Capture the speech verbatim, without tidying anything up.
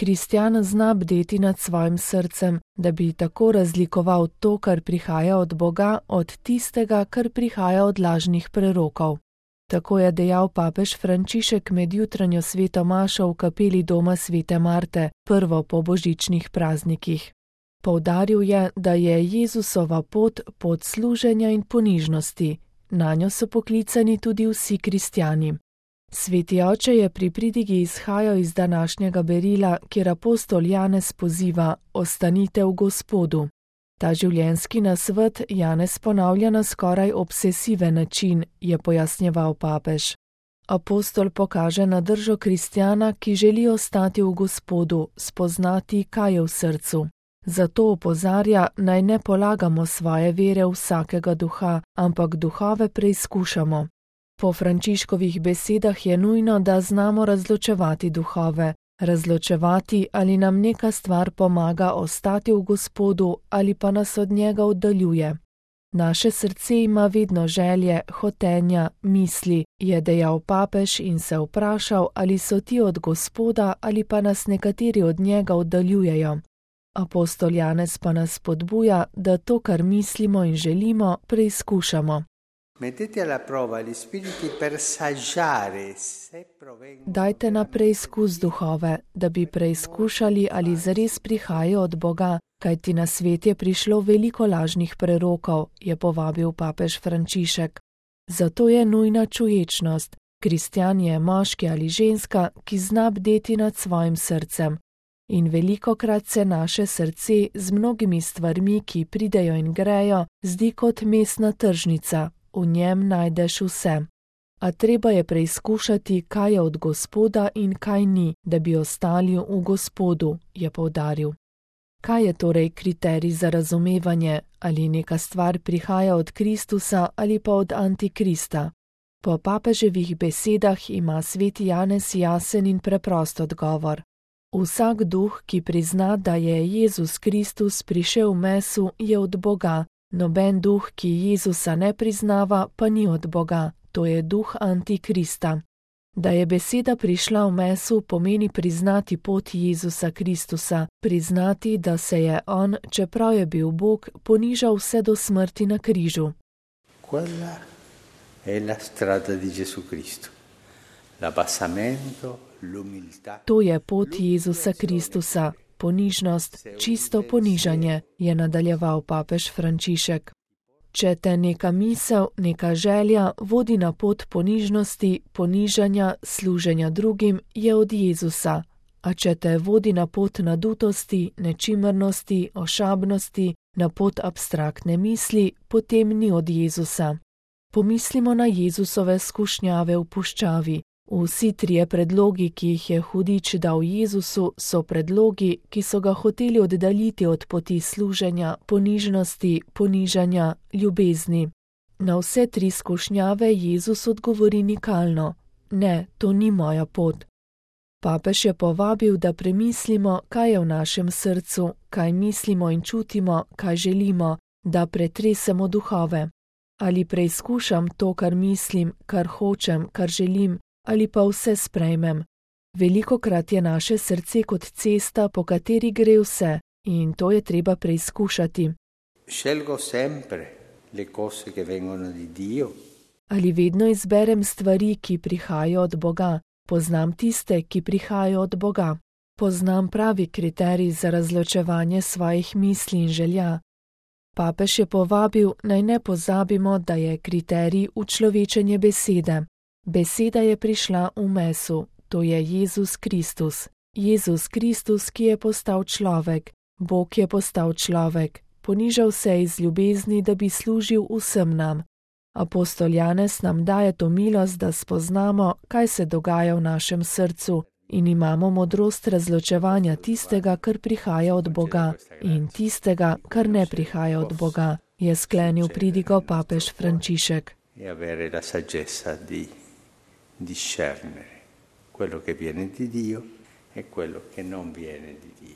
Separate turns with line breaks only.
Kristjan zna bdeti nad svojim srcem, da bi tako razlikoval to, kar prihaja od Boga, od tistega, kar prihaja od lažnih prerokov. Tako je dejal papež Frančišek med jutranjo sveto mašo v kapeli doma svete Marte, prvo po božičnih praznikih. Poudaril je, da je Jezusova pot pot služenja in ponižnosti. Nanjo so poklicani tudi vsi kristjani. Sveti oče je pri pridigi izhajal iz današnjega berila, kjer apostol Janez poziva: ostanite v Gospodu. Ta življenjski nasvet Janez ponavlja na skoraj obsesiven način, je pojasnjeval papež. Apostol pokaže na držo kristjana, ki želi ostati v Gospodu, spoznati, kaj je v srcu. Zato opozarja, naj ne polagamo svoje vere v vsakega duha, ampak duhove preizkušamo. Po Frančiškovih besedah je nujno, da znamo razločevati duhove, razločevati, ali nam neka stvar pomaga ostati v Gospodu ali pa nas od njega oddaljuje. Naše srce ima vedno želje, hotenja, misli, je dejal papež in se vprašal, ali so ti od Gospoda ali pa nas nekateri od njega oddaljujejo. Apostol Janez pa nas spodbuja, da to, kar mislimo in želimo, preizkušamo. Dajte na preizkus duhove, da bi preizkušali, ali zares prihajajo od Boga, kajti na svet je prišlo veliko lažnih prerokov, je povabil papež Frančišek. Zato je nujna čuječnost. Kristjan je moški ali ženska, ki zna bdeti nad svojim srcem. In velikokrat se naše srce z mnogimi stvarmi, ki pridejo in grejo, zdi kot mestna tržnica. V njem najdeš vse. A treba je preizkušati, kaj je od Gospoda in kaj ni, da bi ostali v Gospodu, je poudaril. Kaj je torej kriterij za razumevanje, ali neka stvar prihaja od Kristusa ali pa od Antikrista? Po papeževih besedah ima sveti Janez jasen in preprost odgovor. Vsak duh, ki prizna, da je Jezus Kristus prišel v mesu, je od Boga. Noben duh, ki Jezusa ne priznava, pa ni od Boga, to je duh Antikrista. Da je beseda prišla v mesu, pomeni priznati pot Jezusa Kristusa, priznati, da se je on, čeprav je bil Bog, ponižal vse do smrti na križu.
Quella è la strada di Gesù Cristo. L'abbassamento, l'umiltà.
To je pot Jezusa Kristusa. Ponižnost, čisto ponižanje, je nadaljeval papež Frančišek. Če te neka misel, neka želja vodi na pot ponižnosti, ponižanja, služenja drugim, je od Jezusa. A če te vodi na pot nadutosti, nečimrnosti, ošabnosti, na pot abstraktne misli, potem ni od Jezusa. Pomislimo na Jezusove skušnjave v puščavi. Vsi trije predlogi, ki jih je hudič dal Jezusu, so predlogi, ki so ga hoteli oddaljiti od poti služenja, ponižnosti, ponižanja, ljubezni. Na vse tri skušnjave Jezus odgovori nikalno: ne, to ni moja pot. Papež je povabil, da premislimo, kaj je v našem srcu, kaj mislimo in čutimo, kaj želimo, da pretresemo duhove. Ali preizkušam to, kar mislim, kar hočem, kar želim, ali pa vse sprejmem. Velikokrat je naše srce kot cesta, po kateri gre vse, in to je treba preizkušati.
Scelgo sempre le cose che vengono di Dio.
Ali vedno izberem stvari, ki prihajajo od Boga? Poznam tiste, ki prihajajo od Boga. Poznam pravi kriterij za razločevanje svojih misli in želja. Papež je povabil, naj ne pozabimo, da je kriterij učlovečenje besede. Beseda je prišla v mesu, to je Jezus Kristus. Jezus Kristus, ki je postal človek. Bog je postal človek. Ponižal se iz ljubezni, da bi služil vsem nam. Apostol Janez nam daje to milost, da spoznamo, kaj se dogaja v našem srcu in imamo modrost razločevanja tistega, kar prihaja od Boga, in tistega, kar ne prihaja od Boga, je sklenil pridigo papež Frančišek.
E avere la saggezza di discernere quello che viene di Dio e quello che non viene di Dio.